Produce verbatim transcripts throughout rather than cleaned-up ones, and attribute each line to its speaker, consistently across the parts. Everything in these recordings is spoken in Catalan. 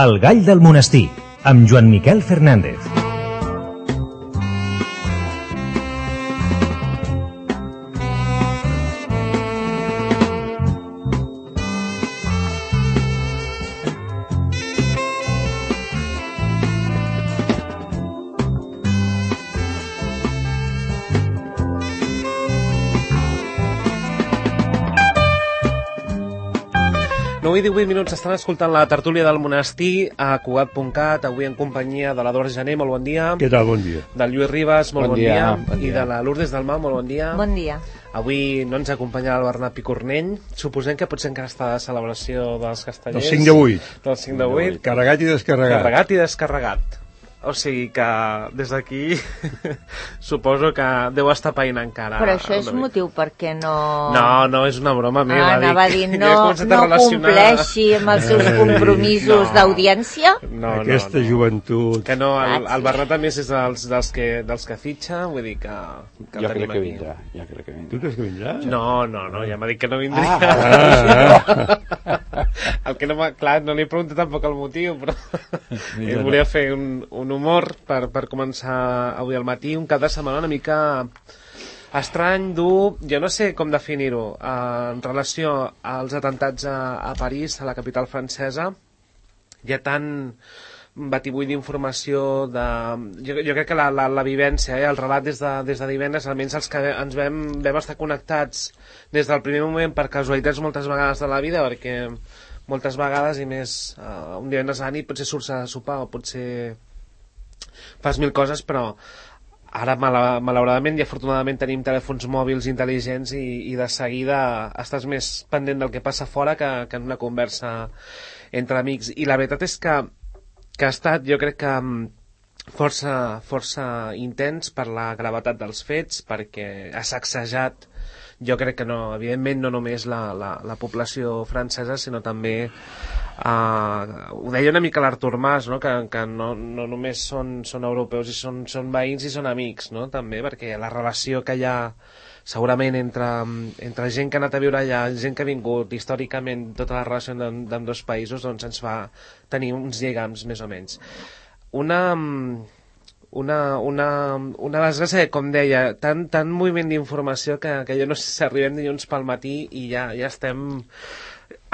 Speaker 1: El gall del monestir, amb Joan Miquel Fernández.
Speaker 2: nou i divuit minuts, estan escoltant la tertúlia del monestir a Cugat punt cat, avui en companyia de l'Eduard Gené, molt bon dia.
Speaker 3: Què tal, bon dia.
Speaker 2: Del Lluís Ribas, molt bon,
Speaker 4: bon,
Speaker 2: dia.
Speaker 4: dia, bon dia.
Speaker 2: I de la Lourdes Dalmau, molt bon dia.
Speaker 5: Bon dia.
Speaker 2: Avui no ens acompanyarà el Bernat Picornell. Suposem que potser encara està de celebració dels castellers.
Speaker 3: Del cinc de vuit.
Speaker 2: Del cinc de vuit.
Speaker 3: Carregat i descarregat.
Speaker 2: Carregat i descarregat. O sigui que des d'aquí suposo que deu estar païnt encara.
Speaker 5: Però això és motiu perquè no...
Speaker 2: No, no, és una broma meva.
Speaker 5: Ah, anava a dir, no,
Speaker 2: ja
Speaker 5: no relacionar... compleixi amb els seus compromisos no. d'audiència?
Speaker 2: No,
Speaker 3: Aquesta
Speaker 2: no, no.
Speaker 3: joventut...
Speaker 2: Que no, el, el Bernat també és dels, dels, que, dels que fitxa, vull dir que... que
Speaker 4: jo crec que
Speaker 2: aquí.
Speaker 4: vindrà, jo crec que vindrà.
Speaker 3: Tu creus que vindrà?
Speaker 2: No, no, no, ja m'ha dit que no vindria.
Speaker 3: Ah, ah,
Speaker 2: ah. El que no m'ha... Clar, no li he preguntat tampoc el motiu, però... Ell volia fer un, un humor per per començar avui al matí, un cap de setmana una mica estrany, dur, jo no sé com definir-ho, eh, en relació als atentats a, a París, a la capital francesa. Hi ha tant batibull d'informació de... Jo, jo crec que la, la, la vivència, eh, el relat des de, des de divendres, almenys els que ens vam, vam estar connectats des del primer moment per casualitats moltes vegades de la vida, perquè moltes vegades, i més eh, un divendres a la nit, potser surts a sopar o potser fas mil coses, però ara malauradament i afortunadament tenim telèfons mòbils intel·ligents i, i de seguida estàs més pendent del que passa fora que, que en una conversa entre amics. I la veritat és que, que ha estat, jo crec que força, força intens per la gravetat dels fets, perquè ha sacsejat, jo crec que no, evidentment no només la, la, la població francesa, sinó també Uh, ho deia una mica l'Artur Mas, no? que, que no, no només són, són europeus i són, són veïns i són amics, no? també, perquè la relació que hi ha segurament entre, entre gent que ha anat a viure allà, gent que ha vingut històricament, tota la relació d'ambdós països, doncs ens fa tenir uns lligams més o menys. Una, una, una, una desgràcia, com deia, tant, tant moviment d'informació que, que jo no sé si arribem dilluns pel matí i ja, ja estem...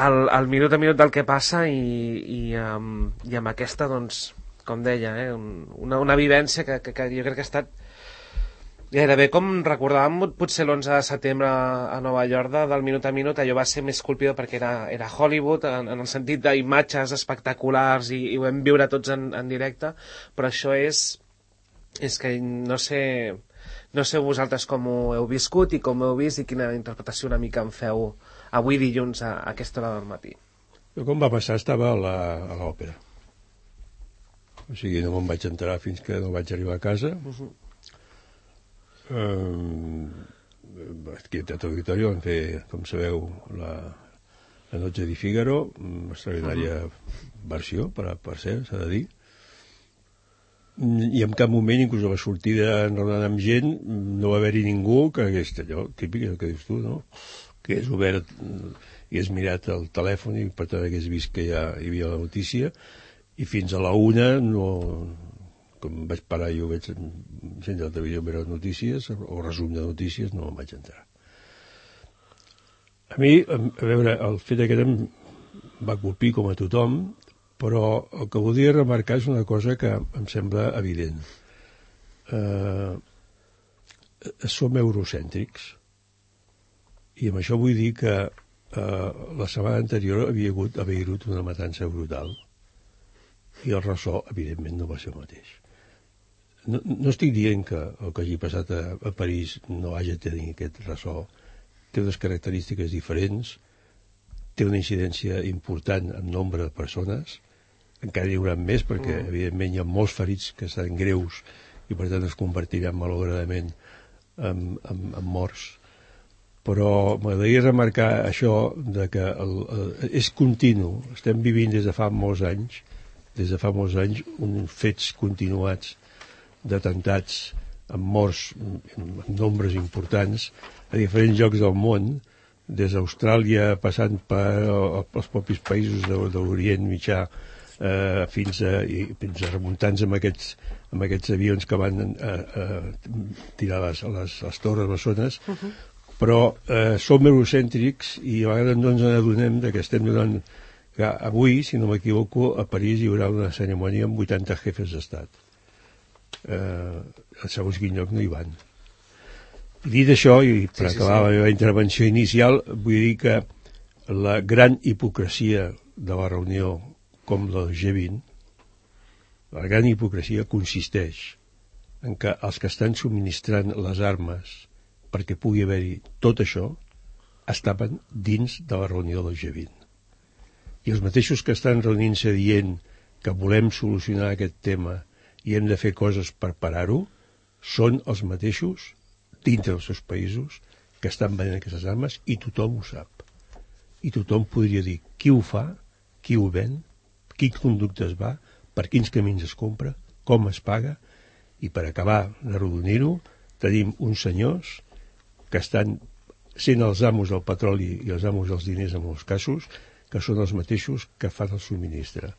Speaker 2: Al, al minut a minut del que passa i, i, um, i amb aquesta, doncs, com deia, eh, una, una vivència que, que, que jo crec que ha estat gairebé com recordàvem potser l'onze de setembre a Nova York del minut a minut. Allò va ser més colpidor perquè era, era Hollywood en, en el sentit d'imatges espectaculars i, i ho vam viure tots en, en directe, però això és és que no sé no sé vosaltres com ho heu viscut i com ho heu vist i quina interpretació una mica en feu avui dilluns a, a aquesta hora del matí.
Speaker 3: Jo com va passar estava a l'òpera. O sigui, no me'n vaig enterar fins que no vaig arribar a casa. Uh-huh. um, aquí a Teatre Auditori vam fer, com sabeu, la, la Noche di Figaro, una extraordinària uh-huh. versió, per, per ser, s'ha de dir. I en cap moment, inclús a la sortida enrodant amb gent, no va haver-hi ningú que hagués allò, típic, el que dius tu, no? Que és obert i has mirat el telèfon i per tant hagués vist que ja hi havia la notícia, i fins a la una no, com vaig parar jo vaig encendre la televisió a veure notícies o resum de notícies, no me'n vaig enterar. A mi, a veure, el fet aquest em va colpir com a tothom, però el que voldria remarcar és una cosa que em sembla evident. Eh, som eurocèntrics. I amb això vull dir que eh, la setmana anterior havia hagut a Beirut una matança brutal i el ressò, evidentment, no va ser el mateix. No, no estic dient que el que hagi passat a, a París no hagi de tenir aquest ressò. Té unes característiques diferents, té una incidència important en nombre de persones, encara hi haurà més perquè, mm. evidentment, hi ha molts ferits que estan greus i, per tant, es convertiran malauradament en, en, en morts. Però m'agradaria remarcar això de que el, el, és continu, estem vivint des de fa molts anys, des de fa molts anys, uns fets continuats d'atemptats amb morts en nombres importants a diferents llocs del món, des d'Austràlia passant per els propis països de, de l'Orient Mitjà eh, fins, a, i, fins a remuntar-nos amb aquests, amb aquests avions que van eh, eh, tirar les, les, les torres bessones, uh -huh. però eh, som eurocèntrics i a vegades no ens adonem que estem donant que avui, si no m'equivoco, a París hi haurà una cerimònia amb vuitanta jefes d'estat. Eh, segons quin lloc no hi van. I dit això, i per sí, acabar sí, sí. la meva intervenció inicial, vull dir que la gran hipocresia de la reunió com del G vint, la gran hipocresia consisteix en que els que estan subministrant les armes perquè pugui haver-hi tot això estaven dins de la reunió del G vint. I els mateixos que estan reunint-se dient que volem solucionar aquest tema i hem de fer coses per parar-ho, són els mateixos dintre dels seus països que estan venent aquestes armes i tothom ho sap. I tothom podria dir qui ho fa, qui ho ven, quin conducte es va, per quins camins es compra, com es paga, i per acabar de rodonir-ho, tenim uns senyors que estan sent els amos del petroli i els amos dels diners en molts casos, que són els mateixos que fan el subministre.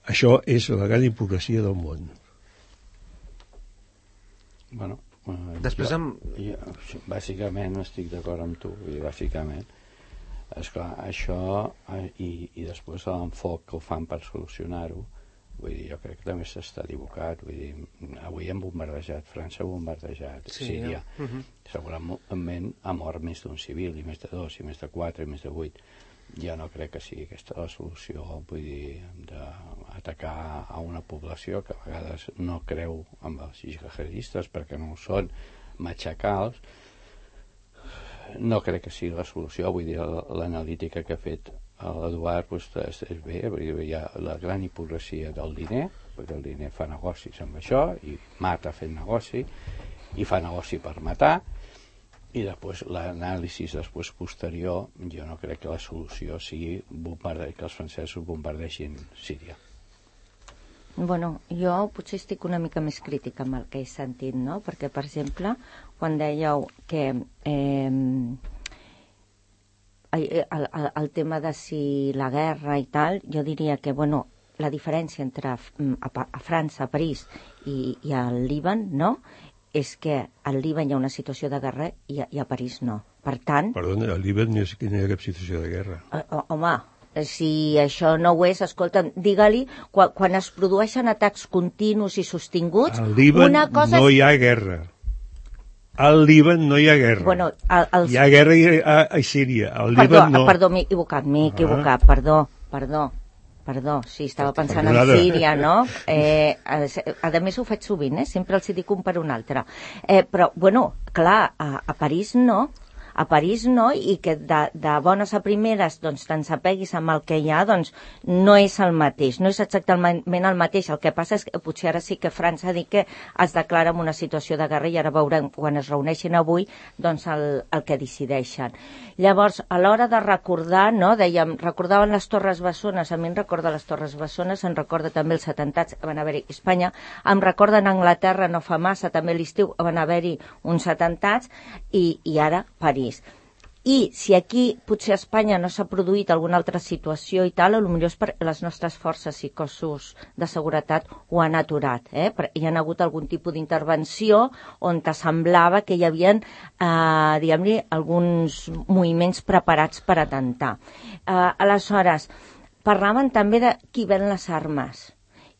Speaker 3: Això és la gran hipocresia del món.
Speaker 4: Bueno, eh,
Speaker 2: després
Speaker 4: jo,
Speaker 2: amb...
Speaker 4: jo, bàsicament estic d'acord amb tu, i bàsicament esclar, això eh, i, i després l'enfoc que ho fan per solucionar-ho, vull dir, jo crec que també s'està equivocat, vull dir, avui hem bombardejat França, ha bombardejat sí, Síria, ja. uh-huh. segurament ha mort més d'un civil, i més de dos, i més de quatre, i més de vuit. Jo no crec que sigui aquesta la solució, vull dir, d'atacar a una població que a vegades no creu amb els jihadistes perquè no ho són, matxacals. No crec que sigui la solució, vull dir, l'analítica que ha fet l'Eduard pues, és, és bé, vull dir, hi ha la gran hipocresia del diner, perquè el diner fa negocis amb això, i mata fent negoci, i fa negoci per matar, i després l'anàlisi després posterior, jo no crec que la solució sigui que els francesos bombardeixin Síria.
Speaker 5: Bueno, jo potser estic una mica més crítica amb el que he sentit, no? Perquè, per exemple, quan dèieu que eh, el, el, el tema de si la guerra i tal, jo diria que, bueno, la diferència entre a, a, a França, a París i, i al Líban, no?, és que al Líban hi ha una situació de guerra i a, i a París no. Per tant...
Speaker 3: Perdona, al Líban no hi ha cap situació de guerra.
Speaker 5: Uh, home, si això no ho és, escolta'm, digue-li, quan, quan es produeixen atacs continus i sostinguts...
Speaker 3: Al Líban
Speaker 5: una cosa
Speaker 3: no
Speaker 5: és...
Speaker 3: hi ha guerra. Al Líban no hi ha guerra.
Speaker 5: Bueno, el, els...
Speaker 3: Hi ha guerra a, a Síria. Al
Speaker 5: perdó,
Speaker 3: Líban no.
Speaker 5: Perdó, m'he equivocat, m'he equivocat, ah. perdó, perdó. Perdó, sí, estava pensant en Síria, no? Eh, a, a més ho faig sovint, eh? Sempre els dic un per un altre. Eh, però, bueno, clar, a, a París no, a París no, i que de, de bones a primeres doncs te'n sapeguis amb el que hi ha, doncs no és el mateix, no és exactament el mateix. El que passa és que potser ara sí que França ha dit que es declara en una situació de guerra i ara veurem quan es reuneixin avui doncs el, el que decideixen. Llavors, a l'hora de recordar, no, dèiem, recordaven les Torres Bessones, a mi em recorda les Torres Bessones, em recorda també els atemptats que van haver-hi a Espanya, em recorda en Anglaterra no fa massa, també a l'estiu van haver-hi uns atemptats, i, i ara París. I si aquí potser a Espanya no s'ha produït alguna altra situació i tal, potser és perquè les nostres forces i cossos de seguretat ho han aturat. Eh? Hi ha hagut algun tipus d'intervenció on semblava que hi havia eh, diguem-li, alguns moviments preparats per atemptar. Eh, aleshores, parlaven també de qui ven les armes,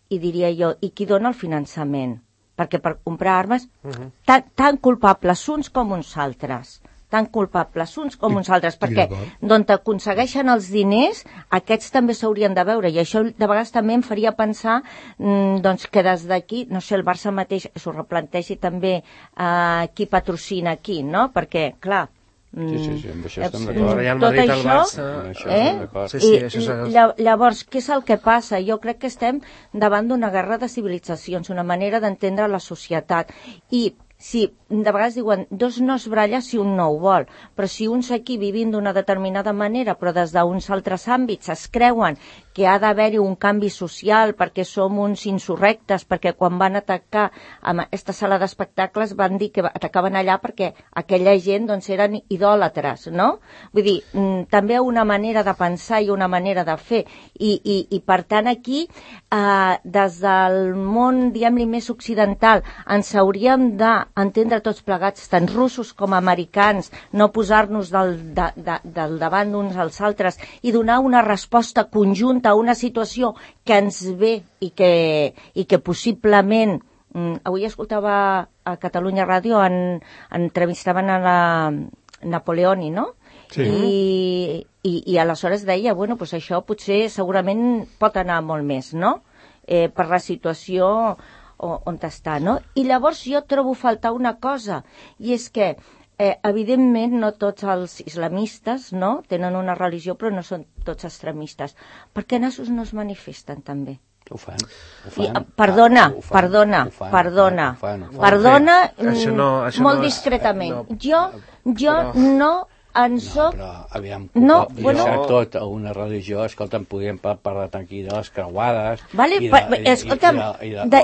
Speaker 5: i diria jo, i qui dona el finançament, perquè per comprar armes uh-huh. tan, tan culpables uns com uns altres, tan culpables uns com uns altres, perquè d'on aconsegueixen els diners, aquests també s'haurien de veure, i això de vegades també em faria pensar mmm, doncs que des d'aquí, no sé, el Barça mateix s'ho replantegi també eh, qui patrocina aquí, no? Perquè, clar,
Speaker 4: Sí, sí, sí, amb això estem d'acord.
Speaker 5: Tot això, eh? Sí, sí, això és... I llavors, què és el que passa? Jo crec que estem davant d'una guerra de civilitzacions, una manera d'entendre la societat, i si de vegades diuen, dos no es bralla si un no ho vol, però si uns aquí vivint d'una determinada manera, però des d'uns altres àmbits es creuen que ha d'haver-hi un canvi social perquè som uns insurrectes, perquè quan van atacar a aquesta sala d'espectacles van dir que atacaven allà perquè aquella gent doncs, eren idòlatres, no? Vull dir, també una manera de pensar i una manera de fer. I, i, i per tant, aquí, eh, des del món, diguem-li, més occidental, ens hauríem d'entendre tots plegats, tant russos com americans, no posar-nos del, de, de, del davant d'uns als altres i donar una resposta conjunta a una situació que ens ve i que, i que possiblement mm, avui escoltava a Catalunya Ràdio en, entrevistaven a la Napoleoni, no? Sí. I, i, i aleshores deia, bueno, pues això potser segurament pot anar molt més, no? Eh, per la situació on està, no? I llavors jo trobo faltar una cosa, i és que Eh, evidentment no tots els islamistes no, tenen una religió però no són tots extremistes. Per què nassos no es manifesten també?
Speaker 4: Ho fan, ho
Speaker 5: fan. I,
Speaker 4: Ah,
Speaker 5: perdona,
Speaker 4: ho fan,
Speaker 5: perdona,
Speaker 4: ho fan,
Speaker 5: perdona,
Speaker 4: ho fan, ho fan.
Speaker 5: perdona,
Speaker 2: Això no, això
Speaker 5: molt
Speaker 2: no és,
Speaker 5: discretament.
Speaker 2: no,
Speaker 5: jo jo
Speaker 2: però...
Speaker 5: no en
Speaker 4: No,
Speaker 5: soc...
Speaker 4: però, aviam,
Speaker 5: No,
Speaker 4: no,
Speaker 5: bueno...
Speaker 4: bueno... tot a una religió, escolta'm, podríem parlar aquí de les creuades...
Speaker 5: Vale,
Speaker 4: i de,
Speaker 5: pa, escolta'm,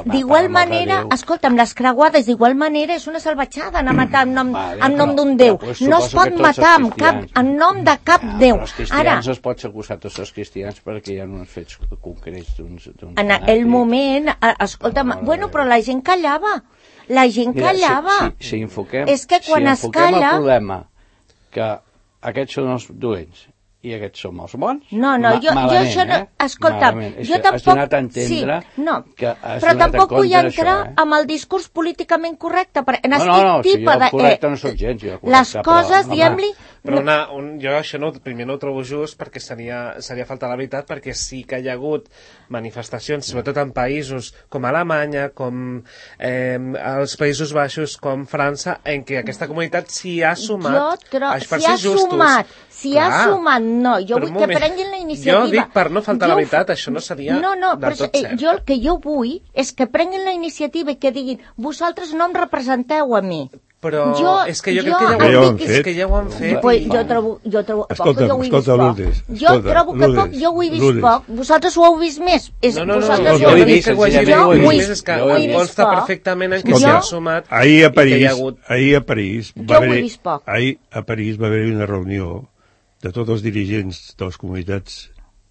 Speaker 5: d'igual manera, escolta'm, les creuades d'igual manera és una salvatjada anar a matar en nom,
Speaker 4: vale,
Speaker 5: en nom
Speaker 4: però-
Speaker 5: d'un déu.
Speaker 4: però, pues,
Speaker 5: No es
Speaker 4: suposo
Speaker 5: pot
Speaker 4: que tots
Speaker 5: matar
Speaker 4: els
Speaker 5: en, cap,
Speaker 4: cristians-
Speaker 5: en nom de cap
Speaker 4: Ja,
Speaker 5: déu.
Speaker 4: però els cristians
Speaker 5: Ara,
Speaker 4: no es pots acusar tots els cristians perquè hi ha uns fets concrets d'uns...
Speaker 5: en aquell moment, a- escolta'm,
Speaker 4: No, no,
Speaker 5: bueno,
Speaker 4: no.
Speaker 5: però la gent callava. La gent
Speaker 4: Mira,
Speaker 5: callava.
Speaker 4: Si, si, si enfoquem,
Speaker 5: És que quan
Speaker 4: si
Speaker 5: es
Speaker 4: enfoquem
Speaker 5: calla-
Speaker 4: el problema que aquests són els dolents i aquests som els bons,
Speaker 5: No, no,
Speaker 4: ma
Speaker 5: jo, jo
Speaker 4: malament,
Speaker 5: això no...
Speaker 4: eh?
Speaker 5: Escolta'm,
Speaker 4: Malament. És
Speaker 5: jo
Speaker 4: que
Speaker 5: tampoc...
Speaker 4: Has donat a entendre
Speaker 5: sí, no,
Speaker 4: que has
Speaker 5: però
Speaker 4: donat en
Speaker 5: tampoc vull
Speaker 4: compte
Speaker 5: entrar
Speaker 4: d'això, eh?
Speaker 5: amb el discurs políticament correcte, perquè
Speaker 4: No,
Speaker 5: n'estic
Speaker 4: no, no, si
Speaker 5: tipa
Speaker 4: jo
Speaker 5: de...
Speaker 4: correcte no sóc gens, jo correcte,
Speaker 5: les
Speaker 4: però,
Speaker 5: coses,
Speaker 4: home,
Speaker 5: diguem-li...
Speaker 2: Però una, un, jo això no, primer no ho trobo just perquè seria, seria falta la veritat, perquè sí que hi ha hagut manifestacions, sobretot en països com Alemanya, com eh, els Països Baixos, com França, en què aquesta comunitat s'hi ha sumat.
Speaker 5: Jo tro...
Speaker 2: per
Speaker 5: si ha
Speaker 2: ser justos.
Speaker 5: sumat, si
Speaker 2: Clar.
Speaker 5: ha sumat, no, jo
Speaker 2: Però
Speaker 5: vull
Speaker 2: un
Speaker 5: que
Speaker 2: moment.
Speaker 5: prenguin la iniciativa.
Speaker 2: Jo dic per no faltar
Speaker 5: Jo
Speaker 2: la
Speaker 5: ho
Speaker 2: veritat,
Speaker 5: fa-
Speaker 2: això no seria
Speaker 5: no, no,
Speaker 2: del
Speaker 5: però,
Speaker 2: tot
Speaker 5: eh,
Speaker 2: cert.
Speaker 5: jo el que jo vull és que prenguin la iniciativa i que diguin, vosaltres no em representeu a mi.
Speaker 2: Però
Speaker 5: Jo-
Speaker 2: és que jo,
Speaker 5: jo
Speaker 2: crec que
Speaker 3: Ja
Speaker 2: ja
Speaker 3: ho
Speaker 2: ho,
Speaker 3: han
Speaker 2: és
Speaker 3: fet.
Speaker 2: que ja ho han fet.
Speaker 5: Pues
Speaker 2: i-
Speaker 5: jo trobo, jo trobo
Speaker 3: Escolta,
Speaker 5: poc, jo ho he
Speaker 3: escolta,
Speaker 5: vist poc.
Speaker 3: Lourdes,
Speaker 5: jo
Speaker 3: escolta,
Speaker 5: trobo que poc,
Speaker 3: Lourdes,
Speaker 5: jo ho he vist
Speaker 3: Lourdes.
Speaker 5: poc. Vosaltres ho heu vist més. És,
Speaker 2: No, no, no,
Speaker 5: vosaltres
Speaker 2: no,
Speaker 5: ho
Speaker 2: jo
Speaker 5: heu
Speaker 2: no
Speaker 3: he
Speaker 2: dic
Speaker 5: vist.
Speaker 2: que ho hagi
Speaker 4: senzillament
Speaker 2: vist,
Speaker 5: Jo
Speaker 4: ho he
Speaker 5: ho he
Speaker 2: més és que
Speaker 4: jo ho he
Speaker 2: em
Speaker 4: vist
Speaker 2: consta
Speaker 5: poc.
Speaker 2: perfectament en què
Speaker 5: Jo-
Speaker 2: s'hi han sumat
Speaker 3: Ahir a
Speaker 2: i que hi
Speaker 3: París,
Speaker 2: ha hagut...
Speaker 3: ahir a París,
Speaker 5: Jo
Speaker 3: va
Speaker 5: ho he
Speaker 3: haver,
Speaker 5: vist poc.
Speaker 3: ahir a París va haver una reunió de tots els dirigents de les comunitats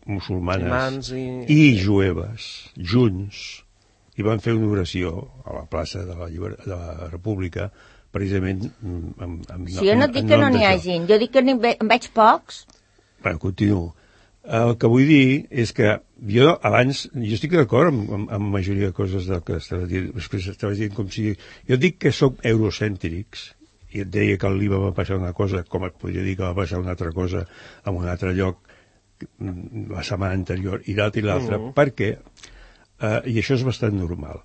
Speaker 3: musulmanes
Speaker 2: Musulmans i...
Speaker 3: i jueves, junts, i van fer una oració a la plaça de la, Lliber... de la República, precisament mm, amb, amb,
Speaker 5: Si jo no
Speaker 3: en-
Speaker 5: dic
Speaker 3: en
Speaker 5: que no
Speaker 3: nom
Speaker 5: n'hi
Speaker 3: d'això.
Speaker 5: hagin, jo dic que n'hi ve- en veig pocs.
Speaker 3: Bueno, continuo. El que vull dir és que jo abans, jo estic d'acord amb, amb, amb la majoria de coses del que estava dient, després estava dient com si... Jo dic que sóc eurocèntrics, i et deia que al Líban va passar una cosa, com et podria dir que va passar una altra cosa en un altre lloc mm, la setmana anterior, i l'altre i l'altre,
Speaker 2: Mm.
Speaker 3: perquè, eh, i això és bastant normal,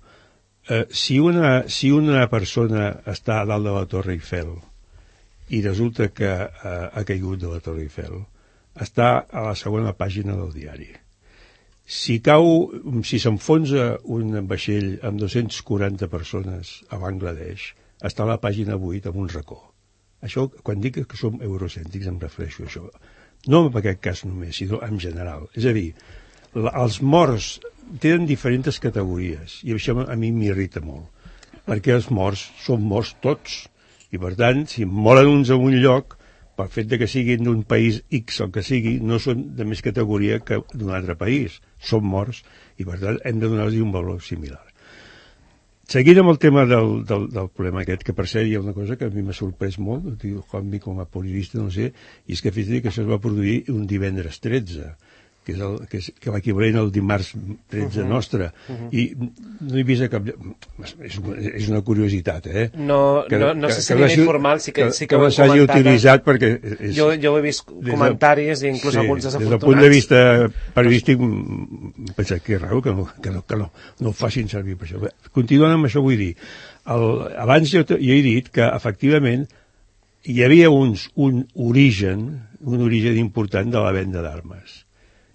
Speaker 3: eh, si, una, si una persona està a dalt de la Torre Eiffel i resulta que eh, ha caigut de la Torre Eiffel, està a la segona pàgina del diari. Si cau, si s'enfonsa un vaixell amb dos-cents quaranta persones a Bangladesh, està a la pàgina vuit amb un racó. Això, quan dic que som eurocèntrics, em refereixo a això. No en aquest cas només, sinó en general. És a dir, la, els morts tenen diferents categories, i això a mi m'irrita molt, perquè els morts són morts tots, i per tant, si moren uns en un lloc, pel fet de que siguin d'un país X o que sigui, no són de més categoria que d'un altre país. Són morts i, per tant, hem de donar-los un valor similar. Seguint amb el tema del, del, del problema aquest, que per cert hi ha una cosa que a mi m'ha sorprès molt, com, com a periodista, no sé, i és que fins i tot que això es va produir un divendres tretze, que és, el, que és que l'equivalent al dimarts tretze uh -huh. nostre, uh -huh. i no he vist cap... És, és una curiositat, eh?
Speaker 2: No,
Speaker 3: que,
Speaker 2: no, no
Speaker 3: que,
Speaker 2: sé si
Speaker 3: que
Speaker 2: a nivell formal sí que,
Speaker 3: que,
Speaker 2: sí que,
Speaker 3: que
Speaker 2: ho
Speaker 3: no
Speaker 2: hem
Speaker 3: s'hagi
Speaker 2: comentat.
Speaker 3: utilitzat perquè... És,
Speaker 2: Jo, jo ho he vist comentaris i inclús
Speaker 3: sí,
Speaker 2: alguns
Speaker 3: des del
Speaker 2: desafortunats.
Speaker 3: punt de vista periodístic, penso que és raro que no, que no, que no, no ho facin servir per això. Bé, continuant amb això, vull dir, el, abans jo, jo he dit que, efectivament, hi havia uns, un origen, un origen important de la venda d'armes.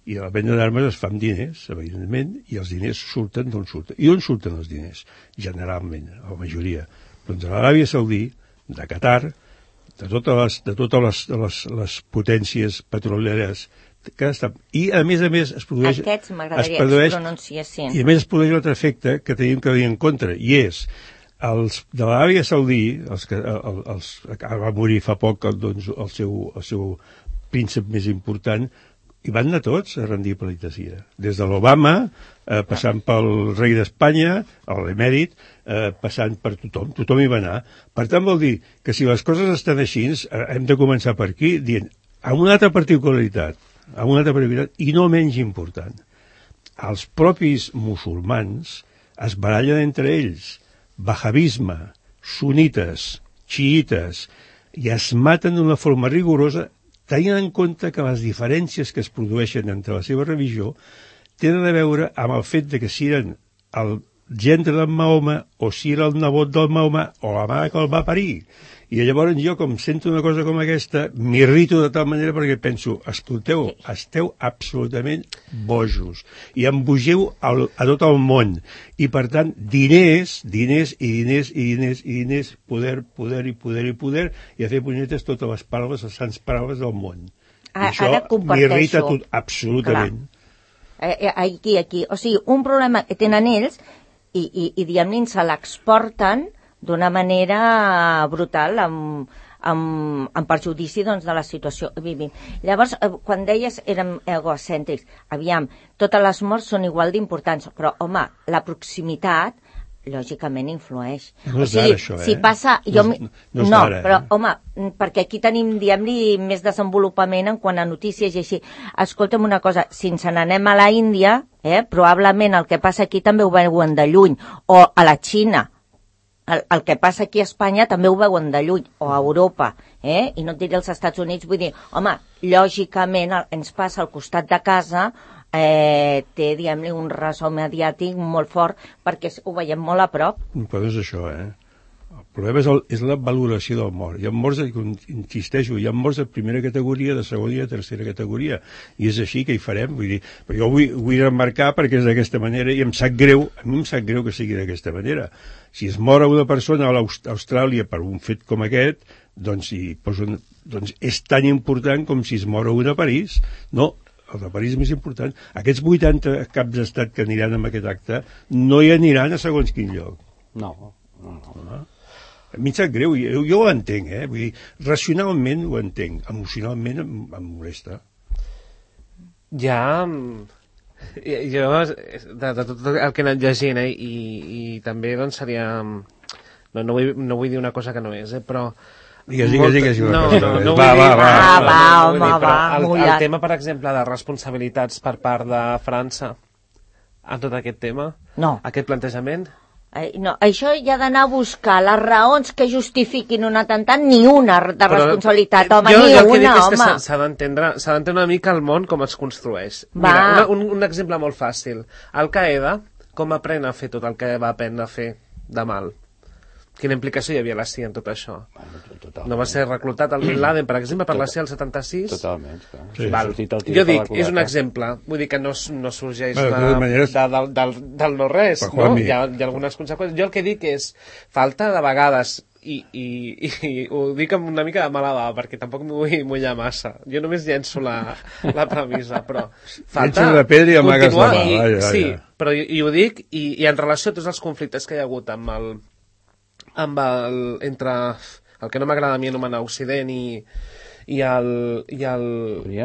Speaker 3: I la venda d'armes es fa amb diners, evidentment, i els diners surten d'on surten. I on surten els diners? Generalment, la majoria. Doncs a l'Aràbia Saudí, de Qatar, de totes les, de totes les, les, les potències petroleres que estan... I, a més a més, es produeix...
Speaker 5: Aquests m'agradaria
Speaker 3: que
Speaker 5: es pronunciessin.
Speaker 3: I, a més, es produeix un altre efecte que tenim que tenir en compte, i és els de l'Aràbia Saudí, els que el, els, va morir fa poc doncs, el, seu, el seu príncep més important, i van anar tots a rendir pleitesía. Des de l'Obama, eh, passant pel rei d'Espanya, l'emèrit, eh, passant per tothom, tothom hi va anar. Per tant, vol dir que si les coses estan així, eh, hem de començar per aquí, dient, amb una altra particularitat, amb una altra particularitat, i no menys important, els propis musulmans es barallen entre ells, wahabisme, sunites, xiites, i es maten d'una forma rigorosa, tenint en compte que les diferències que es produeixen entre la seva religió tenen a veure amb el fet de que si eren el gendre d'en Mahoma o si era el nebot del Mahoma o la mare que el va parir. I llavors jo, com sento una cosa com aquesta, m'irrito de tal manera perquè penso, escolteu, esteu absolutament bojos i embogeu al, a tot el món. I, per tant, diners, diners i diners i diners i diners, poder, poder i poder i poder, i a fer punyetes totes les paraules, les sants paraules del món. I això m'irrita tot, absolutament.
Speaker 5: Clar. Aquí, aquí. O sigui, un problema que tenen ells i, i, i diguem-ne, se l'exporten d'una manera brutal, amb, amb, amb perjudici doncs, de la situació que vivim. Llavors, quan deies érem egocèntrics, aviam, totes les morts són igual d'importants, però, home, la proximitat, lògicament, influeix.
Speaker 3: No és
Speaker 5: o sigui,
Speaker 3: d'ara, això, eh?
Speaker 5: Si passa... Jo,
Speaker 3: no, no,
Speaker 5: no
Speaker 3: d'ara,
Speaker 5: però,
Speaker 3: eh?
Speaker 5: home, perquè aquí tenim, diguem-li, més desenvolupament en quant a notícies i així. Escolta'm una cosa, si ens n'anem a la Índia, eh, probablement el que passa aquí també ho veuen de lluny, o a la Xina. El, el que passa aquí a Espanya també ho veuen de lluny, o a Europa, eh? I no et diré als Estats Units, vull dir, home, lògicament el, ens passa al costat de casa, eh, té, diguem-li, un ressò mediàtic molt fort, perquè ho veiem molt a prop.
Speaker 3: Però és això, eh? El problema és, el, és la valoració del mort. Hi ha morts, insisteixo, hi ha morts de primera categoria, de segona i de tercera categoria. I és així que hi farem. Vull dir, però jo ho vull, ho vull remarcar perquè és d'aquesta manera i em sap greu, a mi em sap greu que sigui d'aquesta manera. Si es mor una persona a l'Austràlia per un fet com aquest, doncs, i posen, doncs és tan important com si es mor una a París. No, el de París és més important. Aquests vuitanta caps d'estat que aniran amb aquest acte no hi aniran a segons quin lloc.
Speaker 4: No, no, no.
Speaker 3: Ah. A mi em sap greu, jo, jo ho entenc, eh? Vull dir, racionalment ho entenc, emocionalment em, em molesta.
Speaker 2: Ja... Jo, de, de tot el que he anat llegint, eh, i, i també doncs seria... No, no, vull, no vull dir una cosa que no és, eh, però...
Speaker 3: Digues, digues, digues.
Speaker 2: No, no, no
Speaker 3: va,
Speaker 2: vull dir...
Speaker 3: va, va,
Speaker 5: ah, va,
Speaker 2: no,
Speaker 5: home,
Speaker 2: dir,
Speaker 5: va,
Speaker 2: el,
Speaker 5: mullat.
Speaker 2: el tema, per exemple, de responsabilitats per part de França en tot aquest tema,
Speaker 5: no.
Speaker 2: Aquest plantejament...
Speaker 5: No, això hi ha d'anar a buscar les raons que justifiquin un atemptat, ni una de però, responsabilitat, home,
Speaker 2: jo,
Speaker 5: ni
Speaker 2: jo el que
Speaker 5: una,
Speaker 2: dic és
Speaker 5: home.
Speaker 2: que s'ha d'entendre s'ha d'entendre una mica el món com es construeix.
Speaker 5: Va.
Speaker 2: Mira, una, un, un exemple molt fàcil. Al-Qaeda, com aprèn a fer tot el que va aprendre a fer de mal? Quina implicació hi havia la C I A en tot això?
Speaker 4: Bueno, totalment.
Speaker 2: No va ser reclutat el Bin Laden, per exemple, per la C I A el setanta-sis?
Speaker 4: Totalment, clar.
Speaker 3: Sí.
Speaker 2: Val. Jo dic, és un exemple. Vull dir que no, no sorgeix
Speaker 3: bueno,
Speaker 2: de,
Speaker 3: de maneres...
Speaker 2: de, del, del, del no-res, no? Hi ha, hi ha algunes conseqüències. Jo el que dic és, falta de vegades, i, i, i, i ho dic amb una mica de mala bava, perquè tampoc m'ho vull mullar massa. Jo només llenço la, la premissa, però falta
Speaker 3: la pedra i amagues la mà.
Speaker 2: I,
Speaker 3: vaja,
Speaker 2: sí,
Speaker 3: vaja.
Speaker 2: però i, i ho dic, i, i en relació a tots els conflictes que hi ha hagut amb el amb el, entre el que no m'agrada a mi anomenar Occident i, i, el, i, el,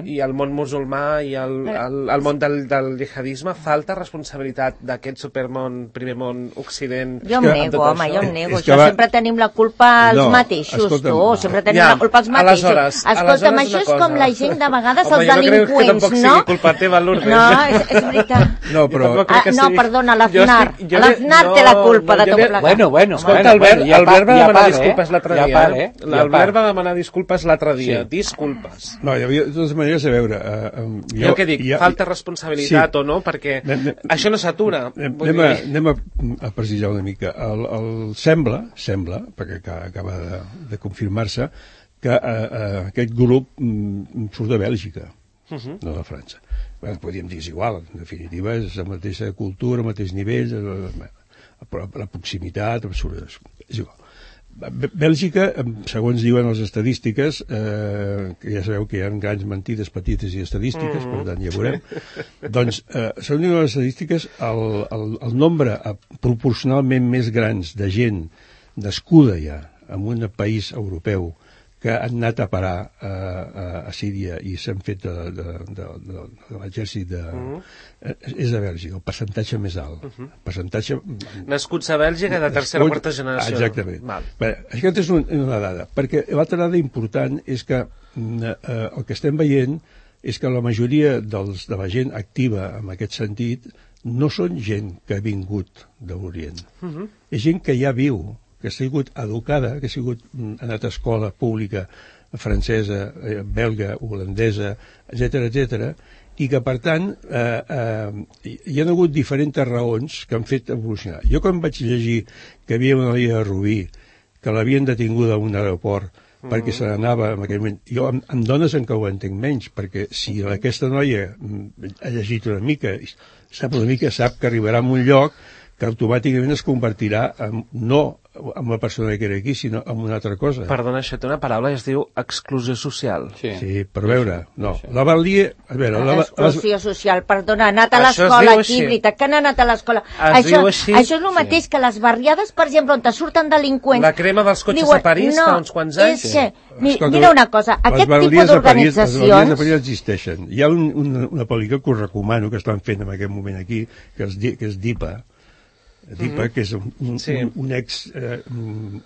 Speaker 2: i el món musulmà i el, el, el món del, del jihadisme, falta responsabilitat d'aquest supermón, primer món, Occident...
Speaker 5: Jo em nego, home, jo em nego.
Speaker 3: És que
Speaker 5: Això
Speaker 3: va...
Speaker 5: sempre tenim la culpa als
Speaker 3: no,
Speaker 5: mateixos, tu. Sempre tenim
Speaker 2: ja,
Speaker 5: la culpa als mateixos.
Speaker 2: Aleshores,
Speaker 5: Escolta'm, això és com la gent de vegades, home, els delinqüents, no?
Speaker 2: Home, jo no crec que tampoc sigui culpa teva, Lourdes.
Speaker 5: No, és, és veritat.
Speaker 3: No, però...
Speaker 5: Ah, no, sigui... perdona, l'Aznar.
Speaker 2: Estic...
Speaker 5: L'Aznar no, té la culpa no, de tot plegat.
Speaker 4: Bueno, bueno.
Speaker 2: Escolta, Albert,
Speaker 4: ja
Speaker 2: Albert va demanar
Speaker 4: ja
Speaker 2: disculpes l'altre
Speaker 4: ja
Speaker 2: dia.
Speaker 4: par, eh?
Speaker 2: L'Albert va demanar disculpes l'altre dia. Disculpes.
Speaker 3: No, hi havia de totes maneres a veure... Uh, um, jo,
Speaker 2: jo el que dic,
Speaker 3: ha,
Speaker 2: falta responsabilitat sí. o no, perquè anem, això no s'atura.
Speaker 3: Anem, a, anem a, a precisar una mica. El, el, sembla, sembla, perquè acaba de, de confirmar-se, que uh, uh, aquest grup um, surt de Bèlgica, uh -huh. no de França. Bueno, podríem dir, és igual, en definitiva, és la mateixa cultura, el mateix nivell, la, la proximitat, és igual. Bèlgica, segons diuen les estadístiques, eh, que ja sabeu que hi ha grans mentides petites i estadístiques, mm. per tant ja veurem, doncs, eh, segons diuen les estadístiques, el, el, el nombre proporcionalment més grans de gent nascuda ja en un país europeu que han anat a parar a, a, a Síria i s'han fet de, de, de, de, de l'exèrcit de... Mm. és de Bèlgica, el percentatge més alt. Uh -huh. percentatge...
Speaker 2: Nascuts a Bèlgica de tercera o quarta generació.
Speaker 3: Exactament. Bé, aquesta és un, una dada, perquè l'altra dada important és que eh, el que estem veient és que la majoria dels, de la gent activa en aquest sentit no són gent que ha vingut de l'Orient. Uh -huh. És gent que ja viu, que ha sigut educada, que ha sigut ha anat a escola pública francesa, eh, belga, holandesa, etcètera, etcètera, i que, per tant, eh, eh, hi ha hagut diferents raons que han fet evolucionar. Jo, quan vaig llegir que hi havia una noia de Rubí, que l'havien detinguda a un aeroport mm. perquè se n'anava en aquell moment, jo amb, amb dones en què ho entenc menys, perquè si aquesta noia ha llegit una mica, sap una mica, sap que arribarà a un lloc que automàticament es convertirà en, no amb la persona que era aquí, sinó en una altra cosa.
Speaker 2: Perdona, això té una paraula i es diu exclusió social.
Speaker 3: Sí, sí per veure, no. La Valdier... A veure, la,
Speaker 5: exclusió social, perdona, ha anat a l'escola aquí, veritat que han anat a l'escola. Això, això és el mateix sí. que les barriades, per exemple, on te surten delinqüents...
Speaker 2: La crema dels cotxes diuen, a París no, fa uns quants anys.
Speaker 5: Sí. Mi, Escolta, mira una cosa, aquest tipus d'organitzacions...
Speaker 3: Les barriades de París existeixen. Hi ha un, una, una pel·lícula que us recomano, que estan fent en aquest moment aquí, que és, que és Dipa, Dipa, mm -hmm. que és un, un, sí. un, un ex eh,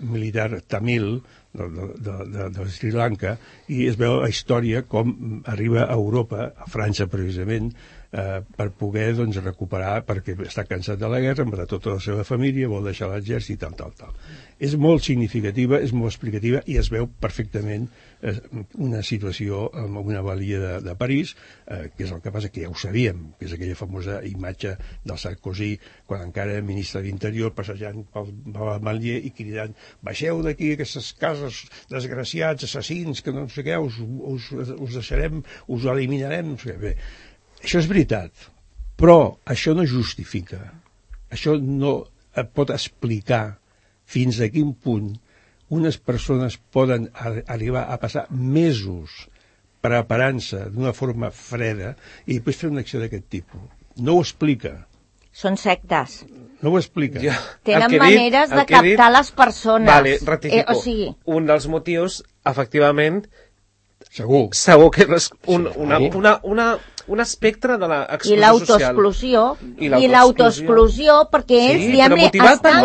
Speaker 3: militar tamil de, de, de, de Sri Lanka, i es veu la història com arriba a Europa, a França precisament, eh, per poder doncs, recuperar, perquè està cansat de la guerra, matar tota la seva família, vol deixar l'exèrcit, tal, tal, tal. És molt significativa, és molt explicativa, i es veu perfectament eh, una situació en una balia de, de París, eh, que és el que passa, que ja ho sabíem, que és aquella famosa imatge del Sarkozy, quan encara era ministre d'Interior, passejant pel Ballier i cridant, baixeu d'aquí aquestes cases, desgraciats, assassins, que no sé què, us, us, us deixarem, us eliminarem, no sé què. Bé, això és veritat, però això no justifica, això no pot explicar fins a quin punt unes persones poden arribar a passar mesos preparant-se d'una forma freda i després fer una acció d'aquest tipus. No ho explica.
Speaker 5: Són sectes.
Speaker 3: No ho explica.
Speaker 2: Ja,
Speaker 5: Tenen maneres dit, de captar dit, les persones.
Speaker 2: Vale, rectifico.
Speaker 5: Eh, o sigui...
Speaker 2: Un dels motius, efectivament...
Speaker 3: Segur.
Speaker 2: Segur que és un, una, una, una, un espectre de l'exclusió
Speaker 5: I l'autoexclusió. I l'autoexclusió, perquè ells,
Speaker 2: sí,
Speaker 5: diguem-ne, estan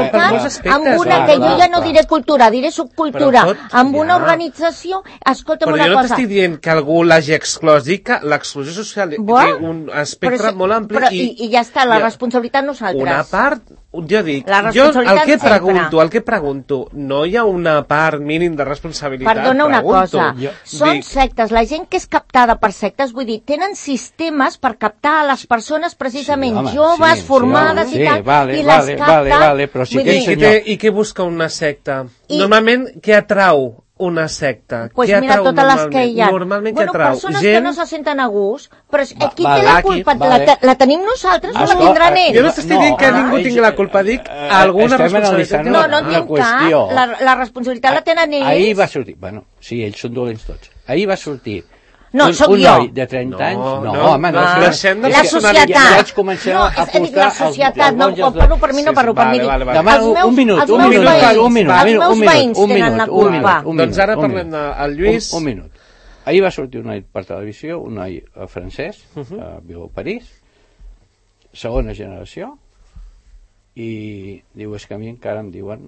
Speaker 5: amb una, que jo ja no diré cultura, diré subcultura, tot, amb una ja. organització, escolta'm
Speaker 2: però
Speaker 5: una cosa...
Speaker 2: Però jo no t'estic dient que algú l'hagi exclòs, dic que l'exclusió social bueno, té un espectre
Speaker 5: però,
Speaker 2: molt ampli
Speaker 5: però,
Speaker 2: i...
Speaker 5: I ja està, la responsabilitat nosaltres.
Speaker 2: Una part... Jo dic, jo el que pregunto, el que pregunto, no hi ha una part mínim de responsabilitat?
Speaker 5: Perdona una
Speaker 2: pregunto.
Speaker 5: cosa, jo, són dic... sectes, la gent que és captada per sectes, vull dir, tenen sistemes per captar a les persones precisament sí, home, joves, sí, formades sí, i tal, sí,
Speaker 4: vale,
Speaker 5: i
Speaker 4: vale,
Speaker 5: les capten...
Speaker 4: Vale, vale, però sí que
Speaker 2: I, què té, I què busca una secta? I... Normalment, què atrau una secta?
Speaker 5: Pues
Speaker 2: què
Speaker 5: mira, totes les que hi ha.
Speaker 2: Normalment,
Speaker 5: bueno,
Speaker 2: què atrau?
Speaker 5: Persones
Speaker 2: gent...
Speaker 5: que no se senten a gust, però
Speaker 4: Va,
Speaker 5: qui
Speaker 4: vale,
Speaker 5: té la culpa?
Speaker 4: Aquí, vale.
Speaker 5: la, la tenim nosaltres o la tindran ells?
Speaker 2: Jo no t'estic dient que ningú tingui la culpa, dic alguna responsabilitat.
Speaker 5: No, no en tinc cap, la, la responsabilitat la tenen ells.
Speaker 4: Ahir va sortir, bueno, sí, ells són dolents tots. Ahir va sortir
Speaker 5: No,
Speaker 4: un,
Speaker 5: sóc
Speaker 4: un
Speaker 5: jo.
Speaker 4: noi de trenta
Speaker 2: no,
Speaker 4: anys, no,
Speaker 2: no,
Speaker 4: home, no.
Speaker 5: Ah,
Speaker 2: Deixem de
Speaker 5: la societat.
Speaker 4: Ja vaig començar
Speaker 5: no,
Speaker 4: a
Speaker 5: és, la societat, no, no parlo per mi, no parlo per mi.
Speaker 2: Vale, vale,
Speaker 4: Demà, un, un minut, un minut, un minut,
Speaker 5: els meus veïns tenen la culpa.
Speaker 2: Doncs ara parlem del Lluís.
Speaker 4: Un, un minut. Ahir va sortir un noi per televisió, un noi francès, uh -huh. uh, viu a París, segona generació, i diu, és que a mi encara em diuen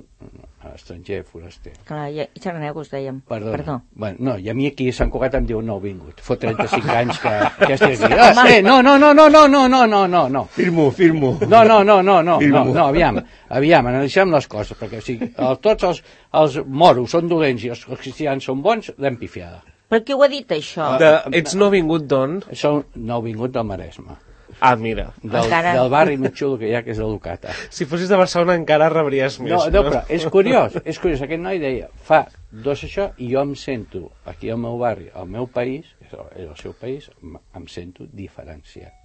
Speaker 4: estranger, foraster.
Speaker 5: Clar, i xarranegos, dèiem.
Speaker 4: Perdona.
Speaker 5: Perdó.
Speaker 4: Bueno, no, i a mi aquí a Sant Cugat em diuen nouvingut. Fot trenta-cinc anys que, que estic aquí. Ah, eh, no, no, no, no, no, no, no, no, no, no.
Speaker 3: Firmo, firmo.
Speaker 4: No, no, no, no, no, no, no, aviam, aviam, analitzem les coses, perquè o sigui, el, tots els, els moros són dolents i els cristians són bons, l'hem pifiada.
Speaker 5: Per què ho ha dit, això?
Speaker 2: De, ets nouvingut d'on?
Speaker 4: Són nouvingut del Maresme.
Speaker 2: Ah, mira.
Speaker 4: Del, encara... del barri més xulo que hi ha, que és el Ducata.
Speaker 2: Si fossis de Barcelona encara rebries més.
Speaker 4: No, no, però és curiós, és curiós. Aquest noi deia, fa dos això, i jo em sento, aquí al meu barri, al meu país, és el seu país, em sento diferenciat.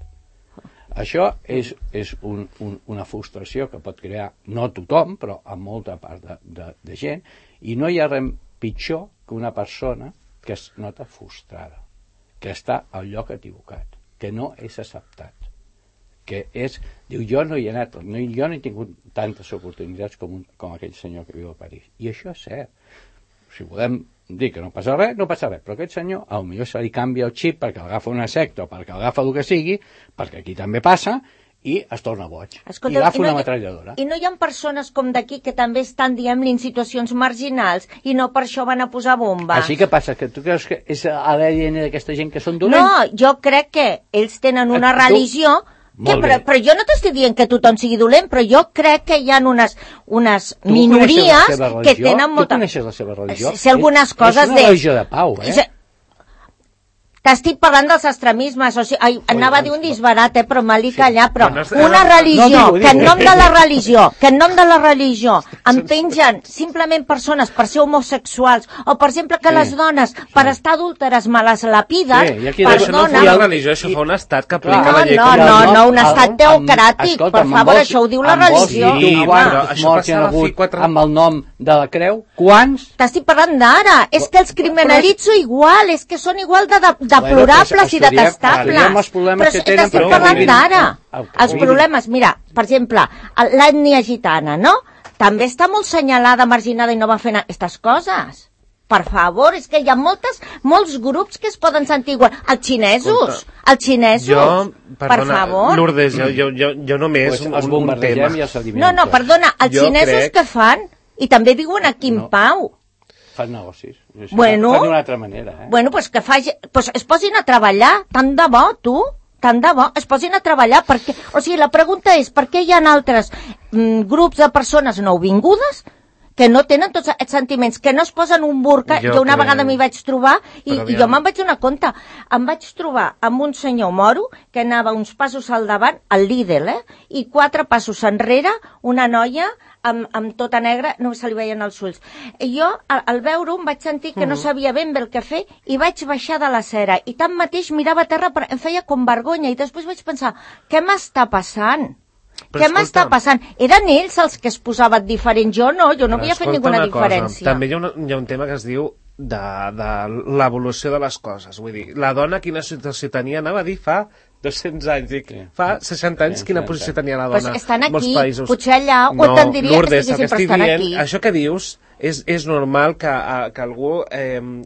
Speaker 4: això és, és un, un, una frustració que pot crear, no tothom, però a molta part de, de, de gent, i no hi ha res pitjor que una persona que es nota frustrada, que està al lloc equivocat, que no és acceptat, que és, diu, jo no hi he anat, no, jo no he tingut tantes oportunitats com, un, com aquell senyor que viu a París. I això és cert. Si podem dir que no passa res, no passa res, però aquest senyor, potser se li canvia el xip perquè agafa una secta o perquè agafa el que sigui, perquè aquí també passa, i es torna boig.
Speaker 5: Escolta,
Speaker 4: i agafa
Speaker 5: i no
Speaker 4: una
Speaker 5: hi,
Speaker 4: metralladora.
Speaker 5: I no hi ha persones com d'aquí que també estan, diguem-li, en situacions marginals i no per això van a posar bomba.
Speaker 4: Així que passa, que tu creus que és a l'A D N d'aquesta gent que són dolents?
Speaker 5: No, jo crec que ells tenen una
Speaker 4: tu...
Speaker 5: religió... Que, però, però jo no t'estic dient que tothom sigui dolent, però jo crec que hi ha unes, unes minories que tenen molta...
Speaker 4: Tu coneixes la seva religió?
Speaker 5: Sé algunes coses de...
Speaker 4: És una religió de pau, eh?
Speaker 5: T'estic parlant dels extremismes, o sigui, ai, anava a dir un disbarat, eh, però m'ha dit
Speaker 4: Sí.
Speaker 5: callar, però
Speaker 2: No,
Speaker 5: una
Speaker 2: no,
Speaker 5: religió,
Speaker 4: no, digo,
Speaker 5: que en
Speaker 4: digo.
Speaker 5: nom de la religió, que en nom de la religió em pengen simplement persones per ser homosexuals, o per exemple que
Speaker 4: Sí.
Speaker 5: les dones, per estar adúlteres, me les lapides,
Speaker 4: Sí, i aquí
Speaker 2: Però això no fa
Speaker 5: perdona...
Speaker 2: una religió, això fa un estat que aplica
Speaker 5: No,
Speaker 2: la llei.
Speaker 5: no,
Speaker 2: com-
Speaker 5: no, no, un
Speaker 4: Amb-
Speaker 5: estat
Speaker 4: amb-
Speaker 5: teocràtic,
Speaker 4: escolta,
Speaker 5: per
Speaker 4: amb
Speaker 5: favor,
Speaker 4: vols-
Speaker 5: això ho diu la
Speaker 4: amb vols
Speaker 5: religió.
Speaker 4: dir tu
Speaker 2: Sí,
Speaker 4: quants
Speaker 2: però això
Speaker 4: morts hi ha
Speaker 2: passava
Speaker 4: hagut
Speaker 2: fi quatre-
Speaker 4: amb el nom de la creu? Quants?
Speaker 5: T'estic parlant d'ara, és que els criminalitzo igual, és que són igual de, de deplorables
Speaker 4: Bueno, pues,
Speaker 5: i
Speaker 4: estudiem-
Speaker 5: detestables.
Speaker 4: estudiem els problemes
Speaker 5: Però
Speaker 4: que
Speaker 5: és-
Speaker 4: tenen,
Speaker 5: t'estic
Speaker 2: però
Speaker 5: parlant
Speaker 2: vulguin-
Speaker 5: d'ara.
Speaker 4: el que
Speaker 5: Els
Speaker 4: vulguin.
Speaker 5: problemes, mira, per exemple, l'ètnia gitana, no? També està molt senyalada, marginada i no va fent aquestes coses. Per favor, és que hi ha moltes, molts grups que es poden sentir igual. Els xinesos, els xinesos,
Speaker 2: Jo,
Speaker 5: per
Speaker 2: perdona,
Speaker 5: favor.
Speaker 2: Lourdes, jo, jo, jo, jo només
Speaker 4: Pues
Speaker 2: un,
Speaker 4: els
Speaker 2: un, un
Speaker 4: bombardejem
Speaker 2: tema.
Speaker 4: i els eliminem.
Speaker 5: No, no,
Speaker 4: tots.
Speaker 5: perdona, els
Speaker 2: Jo
Speaker 5: xinesos
Speaker 2: crec-
Speaker 5: què fan? I també diuen aquí en
Speaker 4: No.
Speaker 5: Pau.
Speaker 4: Fan negocis. Això
Speaker 5: Bueno.
Speaker 4: fan d'una altra manera, eh?
Speaker 5: Bueno, pues que faci, pues es posin a treballar, tant de bo, tu, tant de bo, es posin a treballar, perquè, o sigui, la pregunta és, per què hi ha altres mm, grups de persones nouvingudes que no tenen tots aquests sentiments, que no es posen un burca, jo,
Speaker 2: Jo
Speaker 5: jo una
Speaker 2: crec.
Speaker 5: vegada m'hi vaig trobar, i,
Speaker 2: Però
Speaker 5: i jo me'n vaig donar compte, em vaig trobar amb un senyor moro que anava uns passos al davant, al Lidl, eh? I quatre passos enrere, una noia amb, amb tota negra, no se li veien els ulls. I jo, al, al veure-ho, em vaig sentir que no sabia ben bé el que fer i vaig baixar de la cera. I tanmateix mirava a terra, però em feia com vergonya. I després vaig pensar, què m'està passant?
Speaker 2: Però
Speaker 5: Què
Speaker 2: escolta,
Speaker 5: m'està passant? Eren ells els que es posaven diferents, jo no, jo no
Speaker 2: Però
Speaker 5: havia fet
Speaker 2: escolta
Speaker 5: ninguna
Speaker 2: una cosa,
Speaker 5: diferència.
Speaker 2: També hi ha, una, hi ha un tema que es diu de, de l'evolució de les coses. Vull dir, la dona quina situació tenia, anava a dir fa dos-cents anys, dic,
Speaker 4: Sí.
Speaker 2: fa seixanta anys
Speaker 4: Sí,
Speaker 2: quina
Speaker 4: sí,
Speaker 2: posició
Speaker 4: sí.
Speaker 2: tenia la
Speaker 5: Pues
Speaker 2: dona.
Speaker 5: estan
Speaker 2: en molts
Speaker 5: aquí,
Speaker 2: països.
Speaker 5: potser allà, o
Speaker 2: no,
Speaker 5: t'entendria que
Speaker 2: Lourdes, el
Speaker 5: estiguessin, però
Speaker 2: estic
Speaker 5: estan
Speaker 2: dient,
Speaker 5: aquí.
Speaker 2: Això que dius és, és normal que, a, que algú... Eh,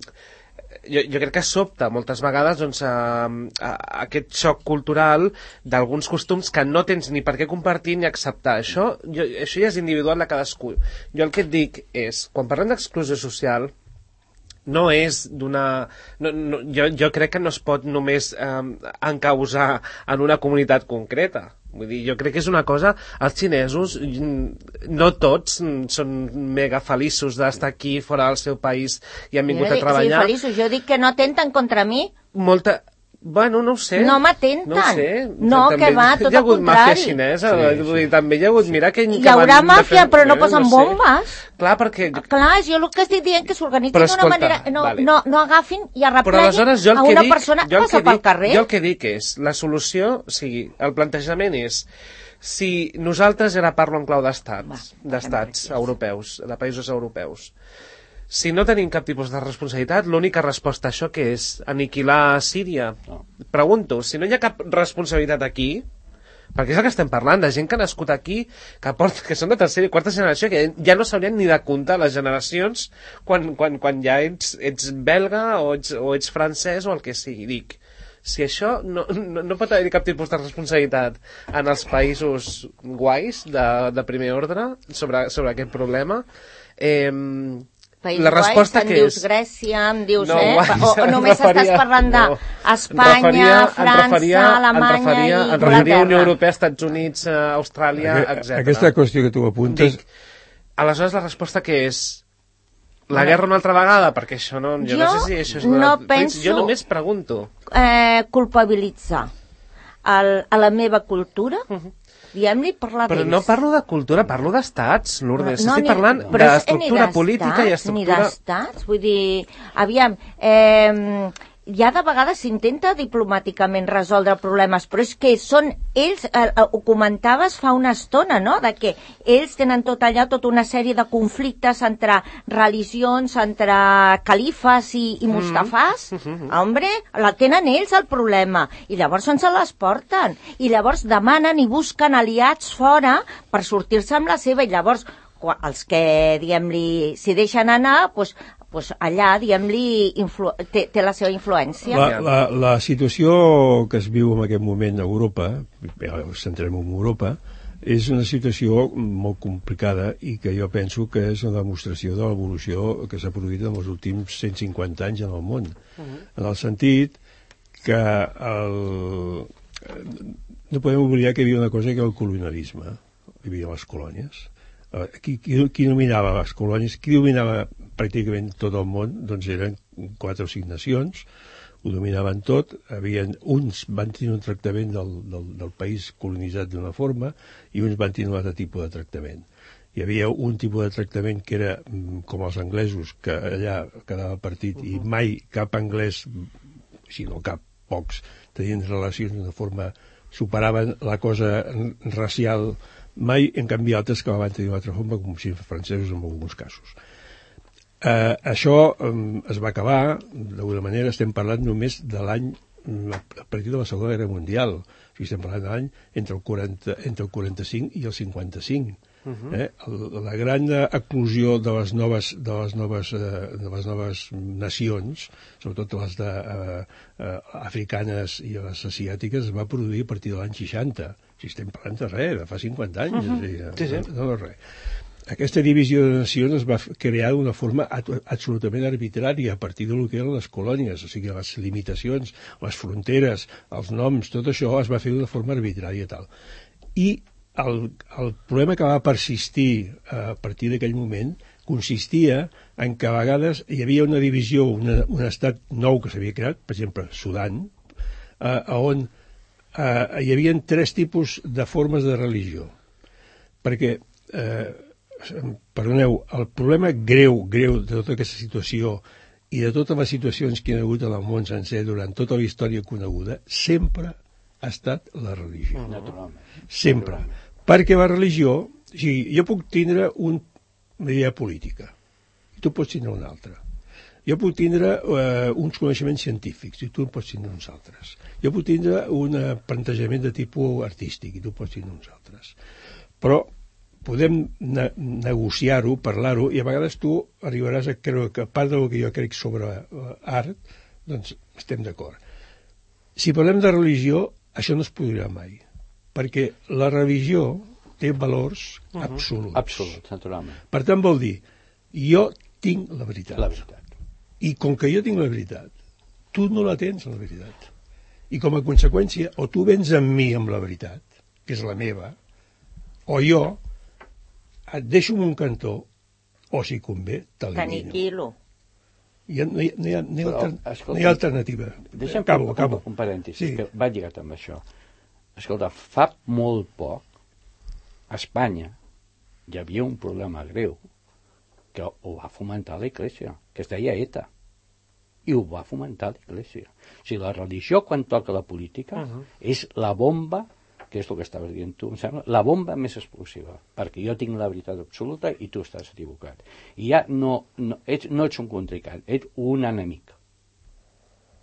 Speaker 2: jo, jo crec que sobta moltes vegades doncs, a, a, a aquest xoc cultural d'alguns costums que no tens ni per què compartir ni acceptar. Això, jo, això ja és individual de cadascú. Jo el que et dic és, quan parlem d'exclusió social, no és d'una... No, no, jo, jo crec que no es pot només eh, encausar en una comunitat concreta. Vull dir, jo crec que és una cosa... Els xinesos, no tots són mega feliços d'estar aquí, fora del seu país, i han vingut
Speaker 5: Jo
Speaker 2: a
Speaker 5: dic,
Speaker 2: treballar.
Speaker 5: sí, feliços. Jo dic que no atenten contra mi.
Speaker 2: Molta... Bueno, no ho sé.
Speaker 5: No m'atenten.
Speaker 2: No ho sé.
Speaker 5: No,
Speaker 2: També
Speaker 5: que va, tot
Speaker 2: hi ha hagut
Speaker 5: al
Speaker 2: màfia
Speaker 5: contrari.
Speaker 2: xinesa.
Speaker 4: Sí,
Speaker 2: Vull dir,
Speaker 4: sí.
Speaker 2: també hi ha hagut... Mira que,
Speaker 5: Hi
Speaker 2: que
Speaker 5: haurà
Speaker 2: van
Speaker 5: màfia,
Speaker 2: defensar-
Speaker 5: però no
Speaker 2: eh,
Speaker 5: posen
Speaker 2: sé.
Speaker 5: bombes.
Speaker 2: Clar, perquè...
Speaker 5: Clar, jo el que estic dient que s'organitzin
Speaker 2: Però
Speaker 5: d'una
Speaker 2: escolta,
Speaker 5: manera... No,
Speaker 2: vale.
Speaker 5: no, no agafin i
Speaker 2: Però
Speaker 5: arrepleguin
Speaker 2: aleshores jo el
Speaker 5: a
Speaker 2: que
Speaker 5: una
Speaker 2: dic,
Speaker 5: persona
Speaker 2: jo
Speaker 5: que
Speaker 2: el
Speaker 5: passa
Speaker 2: que
Speaker 5: pel
Speaker 2: dic,
Speaker 5: carrer.
Speaker 2: jo el que dic és, la solució, o sigui, el plantejament és, si nosaltres, ara parlo en clau d'estats, d'estats europeus, de països europeus, si no tenim cap tipus de responsabilitat, l'única resposta a això que és aniquilar Síria.
Speaker 4: No.
Speaker 2: Pregunto, si no hi ha cap responsabilitat aquí, perquè és el que estem parlant, de gent que ha nascut aquí, que, porta, que són de tercera i quarta generació, que ja no s'haurien ni de comptar les generacions quan, quan, quan ja ets, ets belga o ets, o ets francès o el que sigui. Dic, si això no, no, no pot haver cap tipus de responsabilitat en els països guais de, de primer ordre sobre, sobre aquest problema, eh,
Speaker 5: País
Speaker 2: la resposta
Speaker 5: guai,
Speaker 2: que
Speaker 5: em dius
Speaker 2: és...
Speaker 5: Grècia, em dius,
Speaker 2: No,
Speaker 5: eh?
Speaker 2: guai,
Speaker 5: O, o
Speaker 2: em
Speaker 5: només
Speaker 2: referia-
Speaker 5: estàs parlant
Speaker 2: no.
Speaker 5: d'Espanya,
Speaker 2: Em referia- em
Speaker 5: França,
Speaker 2: referia-
Speaker 5: Alemanya
Speaker 2: em referia,
Speaker 5: i
Speaker 2: em referia a Unió
Speaker 5: Anglaterra.
Speaker 2: Europea, Estats Units, eh, Austràlia, etcètera.
Speaker 3: Aquesta qüestió que tu apuntes...
Speaker 2: Dic, aleshores la resposta que és la guerra una altra vegada? Perquè això no... Jo,
Speaker 5: Jo
Speaker 2: no sé si això és...
Speaker 5: no
Speaker 2: una...
Speaker 5: penso-
Speaker 2: Jo només pregunto.
Speaker 5: Eh, culpabilitzar el, a la meva cultura, diguem-li, parlar
Speaker 2: Però
Speaker 5: d'ells.
Speaker 2: no parlo de cultura, parlo d'estats, Lourdes.
Speaker 5: No,
Speaker 2: Estic
Speaker 5: ni-
Speaker 2: parlant
Speaker 5: però és-
Speaker 2: d'estructura
Speaker 5: ni d'estats,
Speaker 2: política i
Speaker 5: Ni
Speaker 2: estructura...
Speaker 5: d'estats, vull dir, aviam, eh, ja de vegades s'intenta diplomàticament resoldre problemes, però és que són ells, eh, ho comentaves fa una estona, no?, de que ells tenen tot allà, tota una sèrie de conflictes entre religions, entre califes i, i mustafàs. Mm-hmm. Hombre, la tenen ells el problema, i llavors ens les porten, i llavors demanen i busquen aliats fora per sortir-se amb la seva, i llavors els que, diguem-li, s'hi deixen anar, doncs, pues allà, diguem-li, influ... té, té la seva influència.
Speaker 3: La, la, la situació que es viu en aquest moment a Europa, ens centrem en Europa, és una situació molt complicada i que jo penso que és una demostració de l'evolució que s'ha produït en els últims cent cinquanta anys en el món. Uh-huh. En el sentit que el... no podem oblidar que hi havia una cosa que era el colonialisme, hi havia les colònies. Qui, qui, qui dominava les colònies, qui dominava pràcticament tot el món, doncs eren quatre o cinc nacions, ho dominaven tot, havien, uns van tenir un tractament del, del, del país colonitzat d'una forma i uns van tenir un altre tipus de tractament. Hi havia un tipus de tractament que era com els anglesos, que allà quedava partit i mai cap anglès, si no cap, pocs, tenien relacions d'una forma, superaven la cosa racial mai, en canvi altres que van tenir una altra forma, com si francesos en alguns casos. Eh, això eh, es va acabar, d'alguna manera estem parlant només de l'any, a partir de la Segona Guerra Mundial, o sigui, estem parlant de l'any entre el quaranta, entre el quaranta-cinc i el cinquanta-cinc. Uh-huh. eh? La gran eclosió de les noves, de les noves, eh, de les noves nacions, sobretot les de, eh, eh, africanes i les asiàtiques, es va produir a partir de l'any seixanta. Si estem parlant de res, de fa cinquanta anys. Uh-huh. És a dir, sí, sí. No, no, res. Aquesta divisió de nacions es va crear d'una forma absolutament arbitrària a partir del que eren les colònies, o sigui, les limitacions, les fronteres, els noms, tot això es va fer d'una forma arbitrària tal. I el, el problema que va persistir a partir d'aquell moment consistia en que a vegades hi havia una divisió, una, un estat nou que s'havia creat, per exemple, Sudan, eh, on Uh, hi havia tres tipus de formes de religió, perquè eh, perdoneu, el problema greu, greu de tota aquesta situació i de totes les situacions que hi ha hagut en el món sencer durant tota la història coneguda sempre ha estat la religió.
Speaker 4: Naturalment.
Speaker 3: Sempre. Naturalment. Perquè la religió, o sigui, jo puc tindre un, una idea política i tu pots tindre una altra. Jo puc tindre eh, uns coneixements científics i tu en pots tindre uns altres. Jo puc tindre un plantejament de tipus artístic i tu pots tindre uns altres. Però podem ne negociar-ho, parlar-ho, i a vegades tu arribaràs a creure que part del que jo crec sobre art, doncs estem d'acord. Si parlem de religió, això no es podrà mai, perquè la religió té valors uh-huh. absoluts.
Speaker 4: Absoluts, naturalment.
Speaker 3: Per tant, vol dir, jo tinc la veritat.
Speaker 4: La veritat.
Speaker 3: I com que jo tinc la veritat, tu no la tens, la veritat. I com a conseqüència, o tu vens amb mi amb la veritat, que és la meva, o jo et deixo en un cantó, o si convé, t'elimino.
Speaker 5: T'aniquilo.
Speaker 3: Ja no hi ha, no hi ha, no hi ha,
Speaker 4: Però,
Speaker 3: altern...
Speaker 4: escolta,
Speaker 3: no hi ha alternativa.
Speaker 4: Deixa'm
Speaker 3: acabo,
Speaker 4: un,
Speaker 3: acabo.
Speaker 4: un, un parèntesi,
Speaker 3: sí.
Speaker 4: que va lligat amb això. Escolta, fa molt poc, a Espanya hi havia un problema greu que ho va fomentar l'Església, que es deia ETA. I ho va fomentar l'Església. O sigui, la religió, quan toca la política, uh-huh. és la bomba, que és el que estaves dient tu, em sembla, la bomba més explosiva, perquè jo tinc la veritat absoluta i tu estàs equivocat. I ja no, no, ets, no ets un contrincant, ets un enemic.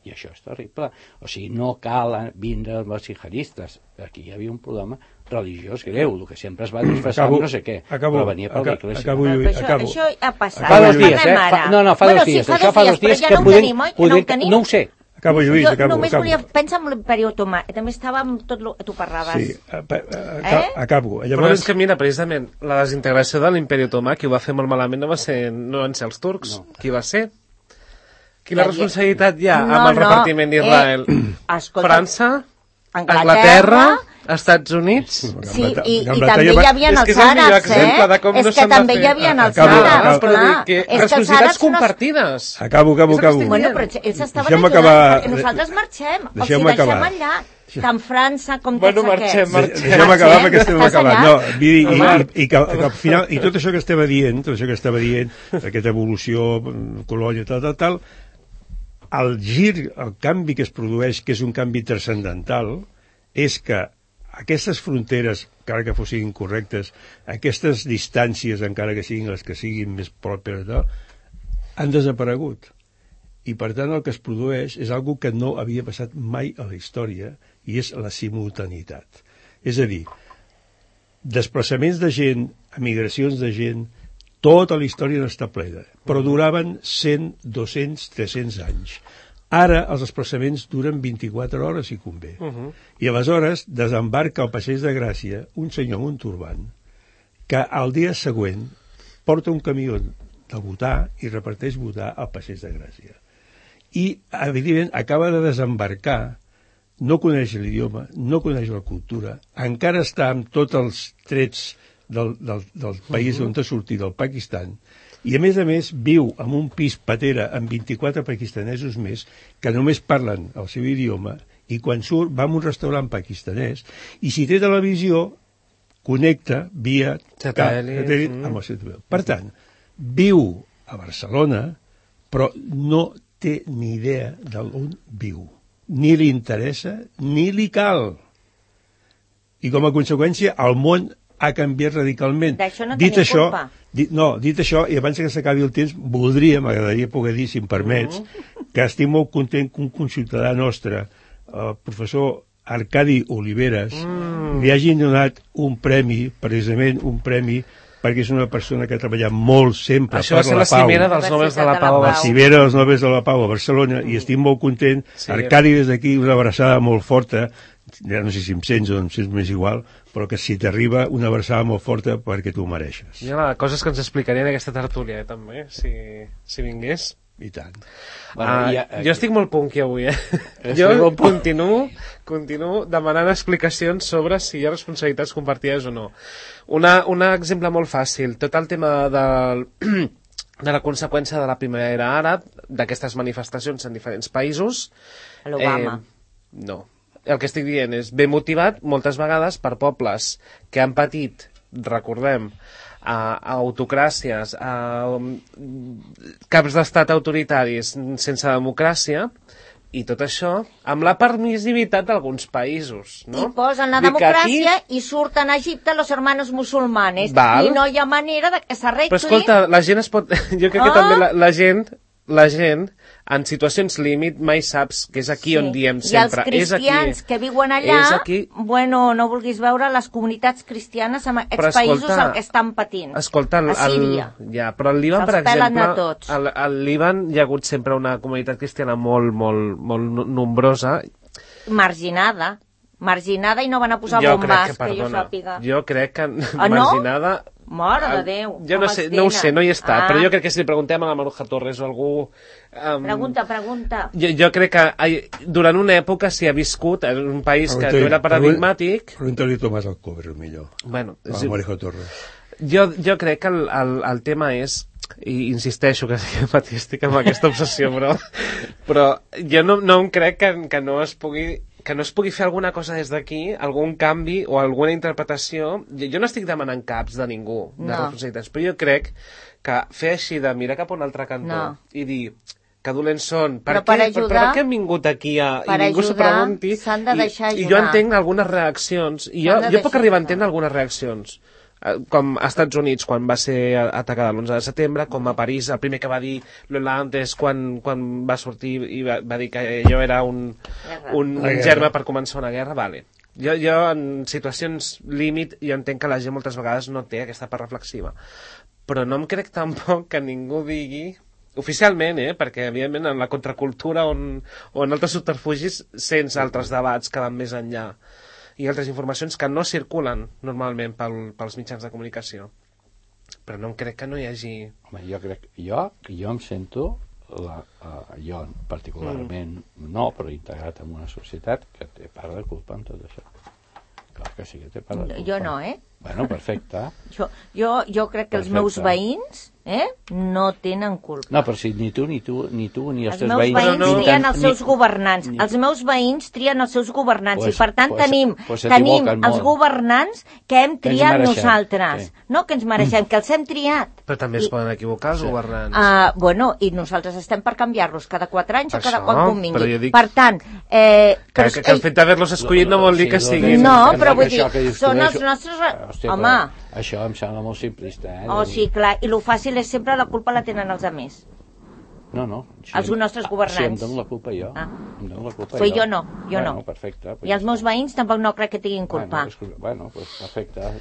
Speaker 4: I això és terrible. O sigui, no cal vindre amb els jihadistes. Aquí hi havia un problema religiós greu, el que sempre es va disfressar amb no sé què,
Speaker 3: acabo,
Speaker 4: però venia per l'Església.
Speaker 3: Acabo,
Speaker 5: però això,
Speaker 3: acabo.
Speaker 5: això ha passat.
Speaker 4: Fa dos dies, eh? Fa, no, no, fa
Speaker 5: bueno,
Speaker 4: dos dies.
Speaker 5: Sí, fa
Speaker 4: això
Speaker 5: dos
Speaker 4: fa
Speaker 5: dies,
Speaker 4: dos dies
Speaker 5: ja
Speaker 4: que
Speaker 5: no
Speaker 4: podem...
Speaker 5: Tenim, oi?
Speaker 4: podem
Speaker 5: No, ho tenim?
Speaker 4: no ho sé.
Speaker 3: Acabo, Lluís,
Speaker 5: jo
Speaker 3: acabo.
Speaker 5: només
Speaker 3: acabo.
Speaker 5: volia pensar en l'imperi otomà, també estava amb tot el que tu parlaves.
Speaker 3: Sí, a, a, a, eh? acabo. Llavors...
Speaker 2: Però és que mira, precisament, la desintegració de l'imperi otomà, qui ho va fer molt malament no, va ser, no van ser els turcs. No. Qui va ser? Quina responsabilitat hi ha no, amb el no. repartiment d'Israel? Eh, França?
Speaker 5: Anglaterra,
Speaker 2: Anglaterra, Estats Units...
Speaker 5: Sí, i, i també hi havia els àrabs, eh? És que també hi havia els àrabs, clar.
Speaker 2: Responsabilitats compartides.
Speaker 3: Acabo, acabo, acabo.
Speaker 5: Bueno, però ells estaven ajudant, perquè nosaltres marxem. O sigui, deixem allà, tant França com tots
Speaker 2: aquests. Bueno, marxem, marxem.
Speaker 3: Deixem acabar perquè estem acabant. No, i que al final, i tot això que estava dient, tot això que estava dient, aquesta evolució, colònia, tal, tal, tal, el gir, el canvi que es produeix, que és un canvi transcendental, és que aquestes fronteres, encara que fossin correctes, aquestes distàncies, encara que siguin les que siguin més pròperes, han desaparegut. I, per tant, el que es produeix és algo que no havia passat mai a la història, i és la simultaneïtat. És a dir, desplaçaments de gent, emigracions de gent, tota la història n'està plena, però duraven cent, dos-cents, tres-cents anys. Ara els desplaçaments duren vint-i-quatre hores, si convé. Uh -huh. I aleshores desembarca al Passeig de Gràcia un senyor amb un turbant que al dia següent porta un camió de votar i reparteix votar al Passeig de Gràcia. I, evidentment, acaba de desembarcar, no coneix l'idioma, no coneix la cultura, encara està amb tots els trets del, del, del país uh -huh. on ha sortit, del Pakistan, i a més a més viu en un pis patera amb vint-i-quatre pakistanesos més que només parlen el seu idioma, i quan surt va a un restaurant pakistanès i si té televisió connecta via satèl·lit amb el seu televisió. Per tant, viu a Barcelona però no té ni idea d'on viu, ni li interessa ni li cal, i com a conseqüència el món ha canviat radicalment.
Speaker 5: D'això no
Speaker 3: dit
Speaker 5: tenia
Speaker 3: això,
Speaker 5: culpa.
Speaker 3: Dit, no, dit això, i abans que s'acabi el temps, voldria, m'agradaria poder dir, si em permets, uh -huh. que estic molt content que un conciutadà nostre, el professor Arcadi Oliveres, mm. li hagin donat un premi, precisament un premi, perquè és una persona que ha treballat molt sempre
Speaker 2: això
Speaker 3: per la pau.
Speaker 2: Això va ser la cimera dels Nobels de la Pau.
Speaker 3: La cimera dels Nobels de la Pau a Barcelona, mm. i estic molt content. Sí, Arcadi, des d'aquí, una abraçada molt forta, ja no sé si em sents o em sents més igual, però que si t'arriba una abraçada molt forta perquè tu ho mereixes.
Speaker 2: Hi ha coses que ens explicarien en aquesta tertúlia, eh, també, si, si vingués.
Speaker 3: I tant.
Speaker 2: Bueno, uh, ja, jo estic molt punky avui, eh? Jo continuo, continuo demanant explicacions sobre si hi ha responsabilitats compartides o no. Una, un exemple molt fàcil, tot el tema del... de la conseqüència de la primavera àrab, d'aquestes manifestacions en diferents països.
Speaker 5: L'Obama.
Speaker 2: Eh, no. El que estic dient és ben motivat moltes vegades per pobles que han patit, recordem, a, a autocràcies, a um, caps d'estat autoritaris sense democràcia, i tot això amb la permissivitat d'alguns països, no?
Speaker 5: I posen la democràcia aquí... i surten a Egipte los hermanos musulmanes. Val. I no hi ha manera de que s'arregli.
Speaker 2: Però escolta, la gent es pot... Jo crec ah. que també la, la gent... la gent, en situacions límit, mai saps que és aquí sí. on diem sempre.
Speaker 5: I els cristians
Speaker 2: és aquí,
Speaker 5: que viuen allà, bueno, no vulguis veure les comunitats cristianes en aquests països el que estan patint.
Speaker 2: Escolta, el,
Speaker 5: a Síria.
Speaker 2: El, ja, però al Líban, per exemple, al, al Líban hi ha hagut sempre una comunitat cristiana molt, molt, molt nombrosa.
Speaker 5: Marginada. Marginada i no van a posar
Speaker 2: jo
Speaker 5: bombes,
Speaker 2: que,
Speaker 5: que jo sàpiga.
Speaker 2: Jo crec que
Speaker 5: ah, no?
Speaker 2: marginada...
Speaker 5: Mare de Déu.
Speaker 2: Jo no sé, no ho sé, no hi he estat, ah. però jo crec que si li preguntem a la Maruja Torres o algú...
Speaker 5: Um, pregunta, pregunta.
Speaker 2: Jo, jo crec que durant una època s'hi ha viscut en un país que no era paradigmàtic...
Speaker 3: Pregunta-li Tomàs Alcover, millor.
Speaker 2: Bueno,
Speaker 3: a la Maruja Torres.
Speaker 2: Jo, jo crec que el, el, el tema és... i insisteixo que estic amb aquesta obsessió, però, però jo no, no em crec que, que no es pugui... que no es pugui fer alguna cosa des d'aquí, algun canvi o alguna interpretació. Jo, jo no estic demanant caps de ningú, de no. responsabilitats, però jo crec que fer així de mirar cap a un altre cantó no. i dir que dolents són, per,
Speaker 5: però per,
Speaker 2: què,
Speaker 5: ajudar,
Speaker 2: per, per què hem vingut aquí a, i ningú s'ho pregunti,
Speaker 5: s'han de deixar
Speaker 2: i, i jo entenc algunes reaccions, i jo, jo puc arribar a entendre algunes reaccions, com a Estats Units quan va ser atacada l'onze de setembre, com a París el primer que va dir l'Hollande quan, quan va sortir i va, va dir que allò era un, un, un germe per començar una guerra, vale. Jo, jo en situacions límit jo entenc que la gent moltes vegades no té aquesta part reflexiva, però no em crec tampoc que ningú digui oficialment, eh, perquè evidentment en la contracultura on, o en altres subterfugis sense altres debats que van més enllà i altres informacions que no circulen normalment pel, pels mitjans de comunicació. Però no em crec que no hi hagi...
Speaker 4: Home, jo crec... Jo, jo em sento, la, uh, jo particularment mm. no, però integrat en una societat que té part de culpa en tot això. Clar que sí que té part de culpa.
Speaker 5: Jo no, eh?
Speaker 4: Bueno, perfecte.
Speaker 5: Jo, jo, jo crec que els meus veïns eh, no tenen culpa.
Speaker 4: No, però si ni tu, ni tu, ni tu, ni els,
Speaker 5: els
Speaker 4: teus
Speaker 5: meus
Speaker 4: veïns...
Speaker 5: veïns
Speaker 4: no, no,
Speaker 5: trien
Speaker 4: ni,
Speaker 5: els seus
Speaker 4: ni,
Speaker 5: governants.
Speaker 4: Ni,
Speaker 5: els meus veïns trien els seus governants.
Speaker 4: Pues,
Speaker 5: I per tant
Speaker 4: pues,
Speaker 5: tenim,
Speaker 4: pues
Speaker 5: tenim
Speaker 4: molt.
Speaker 5: els governants que hem triat
Speaker 4: que
Speaker 5: nosaltres.
Speaker 4: Sí.
Speaker 5: No que ens mereixem, que els hem triat.
Speaker 2: Però també es I, poden equivocar els sí. governants.
Speaker 5: Uh, bueno, i nosaltres estem per canviar-los cada quatre anys Això, o cada quan convingui.
Speaker 2: Dic...
Speaker 5: Per tant... Eh,
Speaker 2: que, que, que el fet d'haver-los escollit no vol dir que siguin...
Speaker 5: No, però vull dir, són els nostres... Home...
Speaker 4: Això em sembla molt simplista, eh?
Speaker 5: Oh, sí, clar, i lo fàcil és sempre la culpa la tenen els altres.
Speaker 4: No, no.
Speaker 5: Els nostres governants.
Speaker 4: Sí, em dono la culpa jo. Ah. Em dono la culpa
Speaker 5: pues
Speaker 4: jo.
Speaker 5: jo no, jo
Speaker 4: bueno,
Speaker 5: no.
Speaker 4: Perfecte.
Speaker 5: I els meus veïns tampoc no crec que tinguin culpa.
Speaker 4: Bueno, bueno pues perfecte.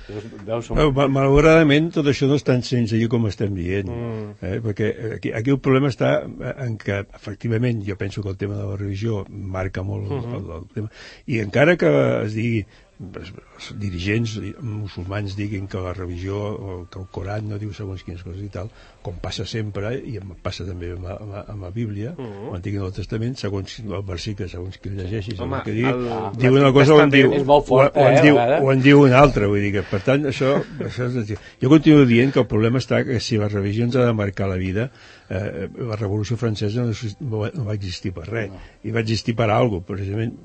Speaker 4: Veus
Speaker 3: un... Mal, malauradament tot això no és tan senzill com estem dient, mm. eh? perquè aquí, aquí el problema està en que efectivament jo penso que el tema de la religió marca molt mm-hmm. el, el tema, i encara que es digui els dirigents musulmans diguin que la religió o que el Coran no diu segons quines coses i tal, com passa sempre i em passa també amb, amb, amb la Bíblia uh-huh. l'Antic i el Testament, segons el versicle segons qui el llegeixi, segons Home, que digui el, diu una cosa o en diu, fort, o, o, en diu eh, o en diu una altra, vull dir que per tant això, això és, jo continuo dient que el problema està que si la religió ens ha de marcar la vida, eh, la Revolució Francesa no, no va existir per res, no. i va existir per alguna cosa, precisament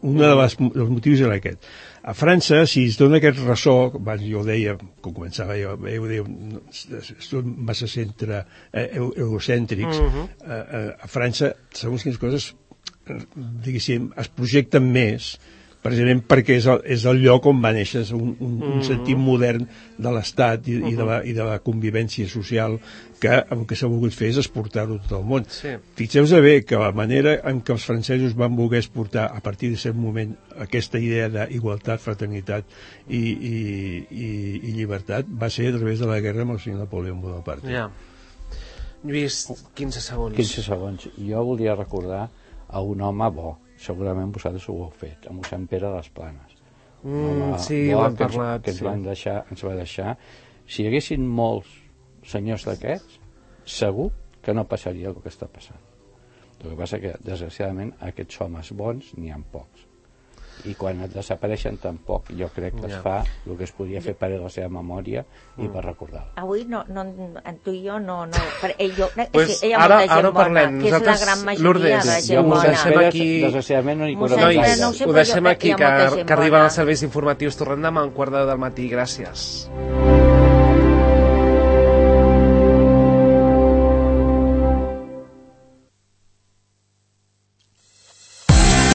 Speaker 3: un dels motius era aquest. A França, si es dona aquest ressò, abans jo ho deia, quan començava jo, jo ho deia, són massa centre eh, eurocèntrics, uh-huh. eh, a França, segons quines coses, diguéssim, es projecten més, precisament perquè és el, és el lloc on va néixer un, un, un sentit modern de l'Estat i, uh-huh. i, de la, i de la convivència social que el que s'ha volgut fer és exportar-ho a tot el món. Sí. Fixeu-vos bé que la manera en què els francesos van voler exportar a partir d'aquest moment aquesta idea d'igualtat, fraternitat i, i, i, i llibertat va ser a través de la guerra amb el senyor Napoleó Bonaparte.
Speaker 2: Ja. Lluís, quinze segons.
Speaker 4: quinze segons. Jo volia recordar a un home bo, segurament vosaltres ho heu fet, amb mossèn Pere de les Planes.
Speaker 2: Mm, home, sí, ho hem parlat.
Speaker 4: Que ens,
Speaker 2: sí.
Speaker 4: van deixar, ens va deixar. Si hi haguessin molts senyors d'aquests, segur que no passaria el que està passant. El que passa que, desgraciadament, aquests homes bons n'hi ha pocs. I quan et desapareixen tampoc, jo crec que es fa el que es podia fer per la seva memòria i per recordar-la.
Speaker 5: Avui no, no, tu i jo no, no per, eh, jo,
Speaker 2: pues
Speaker 5: sí, hi ha
Speaker 2: ara,
Speaker 5: molta gent
Speaker 2: ara
Speaker 5: bona,
Speaker 2: parlem.
Speaker 5: que és la gran majoria
Speaker 2: Lourdes,
Speaker 5: de gent bona.
Speaker 2: Deixem aquí...
Speaker 4: Desgraciadament no hi
Speaker 5: Mossèn
Speaker 4: correm
Speaker 5: Pere,
Speaker 4: gaire.
Speaker 5: no ho sé,
Speaker 2: Ho
Speaker 5: però
Speaker 2: deixem
Speaker 5: jo-
Speaker 2: aquí,
Speaker 5: hi ha
Speaker 2: que,
Speaker 5: molta gent
Speaker 2: que arriben
Speaker 5: bona.
Speaker 2: els serveis informatius. Tornem demà a un quart de del matí. Gràcies.